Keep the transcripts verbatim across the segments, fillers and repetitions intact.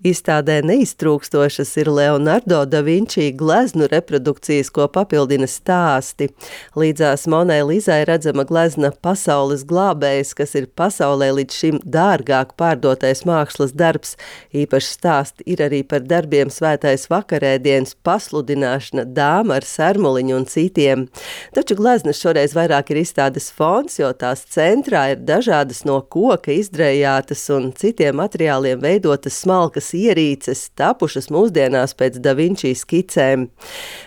Izstādē neiztrūkstošas ir Leonardo da Vinci gleznu reprodukcijas, ko papildina stāsti. Līdzās Monai Lizai redzama glezna Pasaules glābējs, kas ir pasaulē līdz šim dārgāk pārdotais mākslas darbs. Īpaši stāsti ir arī par darbiem Svētais vakarēdienas, Pasludināšana, Dāma ar sarmuliņu un citiem. Taču gleznas šoreiz vairāk ir izstādes fons, jo tās centrā ir dažādas no koka izdrējātas un citiem materiāliem veidotas smalkas ierīces, tapušas mūsdienās pēc Da Vinci skicēm.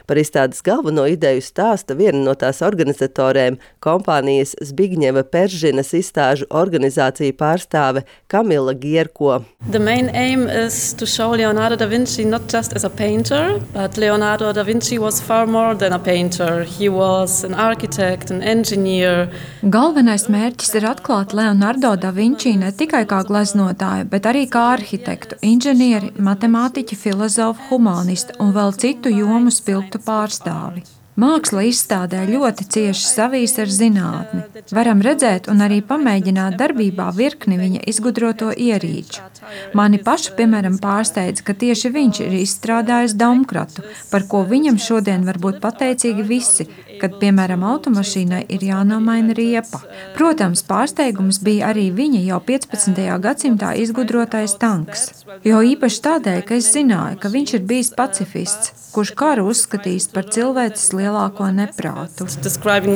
Par izstādes galveno ideju stāsta viena no tās organizatorēm, kompānijas Zbigņeva Peržžinas izstāžu organizācija pārstāve Kamila Gierko. The main aim is to show Leonardo da Vinci not just as a painter, but Leonardo da Vinci was far more than a painter. He was an architect, an engineer. Galvenais mērķis ir atklāt Leonardo da Vinci ne tikai kā gleznotāju, bet arī kā arhitektu, inženieri, matemātiķi, filozofu, humanistu un vēl citu jomu spilgtu pārstāvi. Māksla izstādē ļoti cieši savijas ar zinātni. Varam redzēt un arī pamēģināt darbībā virkni viņa izgudroto ierīču. Mani pašu, piemēram, pārsteidz, ka tieši viņš ir izstrādājis domkratu, par ko viņam šodien var būt pateicīgi visi, kad, piemēram, automašīnai ir jānomaina riepa. Protams, pārsteigums bija arī viņa jau piecpadsmitajā gadsimtā izgudrotais tanks. Jo īpaši tādēļ, ka es zināju, ka viņš ir bijis pacifists, kurš karu uzskatījis par cilvēces lielāko neprātu.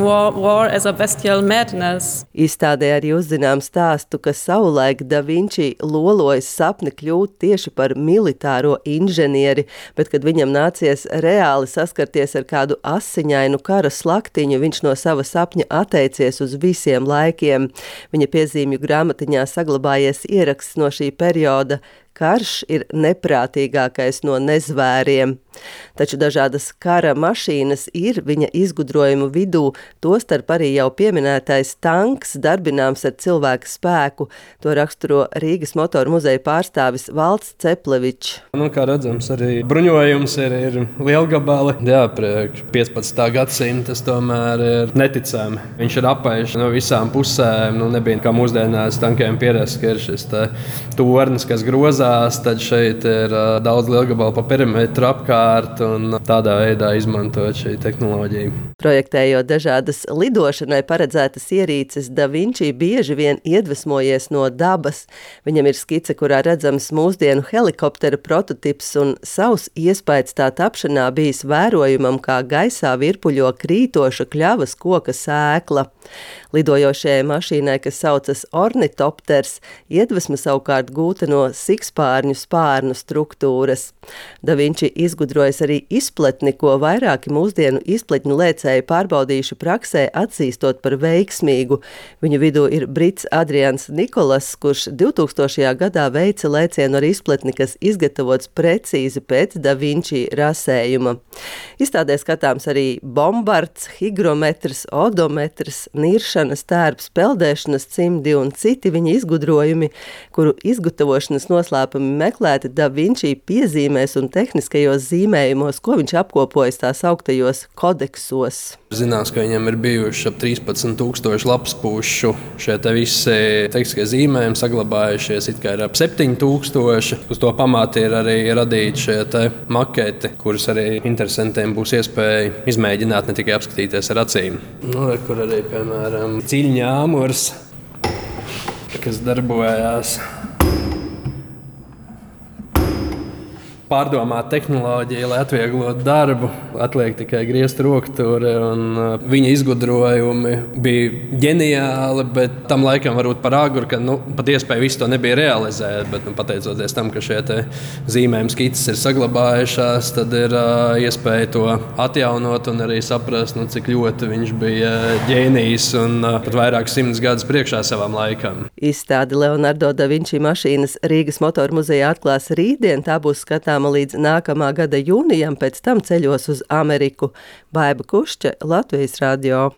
War, war as a bestial madness. Izstādē arī uzzinām stāstu, ka savulaik Da Vinci lolojas sapni kļūt tieši par militāro inženieri, bet kad viņam nācies reāli saskarties ar kādu asiņainu kara slaktiņu, viņš no sava sapņa atteicies uz visiem laikiem. Viņa piezīmju grāmatiņā saglabājies ieraksts no šī perioda. Karš ir neprātīgākais no nezvēriem. Taču dažādas kara mašīnas ir viņa izgudrojumu vidū, tostarp arī jau pieminētais tanks, darbināms ar cilvēku spēku. To raksturo Rīgas motoru muzeja pārstāvis Valds Ceplevičs. Nu, kā redzams, arī bruņojums ir, ir lielgabali. Jā, priekš piecpadsmitā gadsimta tas tomēr ir neticami. Viņš ir apaišs no visām pusēm. Nu, nebija kā mūsdienās tankiem pierasts, ka ir šis tornis, kas grozās. Tad šeit ir uh, daudz lielgabalu pa perimetru apkārt un tādā veidā izmantot šī tehnoloģija. Projektējot dažādas lidošanai paredzētas ierīces, Da Vinci bieži vien iedvesmojies no dabas. Viņam ir skice, kurā redzams mūsdienu helikoptera prototips un savs iespējas tā tapšanā bijis vērojumam, kā gaisā virpuļo krītoša kļavas koka sēkla. Lidojošajai mašīnai, kas saucas ornitopters, iedvesma savukārt gūta no sikspārņu spārnu struktūras. Da Vinci izgudrojas arī izpletni, ko vairāki mūsdienu izpletņu lēcēji pārbaudījuši praksē, atzīstot par veiksmīgu. Viņu vidū ir brits Adrians Nikolas, kurš divtūkstošajā gadā veica lēcienu ar izpletni, kas izgatavots precīzi pēc Da Vinci rasējuma. Izstādē skatāms arī bombards, higrometrs, odometrs, niršanas tērps, peldēšanas cimdi un citi viņa izgudrojumi, kuru izgatavošanas noslēpumi meklēti Da Vinci piezīmēs un tehniskajos zīmējumos, ko viņš apkopojas tās augtajos kodeksos. Zināms, ka viņam ir bijuši ap trīspadsmit tūkstoši lapspušu. Šie te visi tehniskie zīmējumi saglabājušies it kā ir ap septiņi tūkstoši. Uz to pamata ir arī radīti šie te maketi, kurus arī interesantiem būs iespēja izmēģināt, ne tikai apskatīties ar acīm. Nu, kur arī, piemēram, ciļņa āmurs, kas darbojās. Pārdomāt tehnoloģiju, lai atvieglotu darbu. Atliek tikai griezt rokturi, un viņa izgudrojumi bija ģeniāli, bet tam laikam varbūt par āgru, ka nu, pat iespēja visu to nebija realizēt, bet nu, pateicoties tam, ka šie te zīmējumi skices ir saglabājušās, tad ir uh, iespēja to atjaunot un arī saprast, nu, cik ļoti viņš bija ģēnijs un uh, pat vairāk simtus gadus priekšā savam laikam. Izstādi Leonardo da Vinci mašīnas Rīgas motoru muzejā atklās rītdien, tā būs skatām līdz nākamā gada jūnijam, pēc tam ceļos uz Ameriku. Baiba Kušķe, Latvijas radio.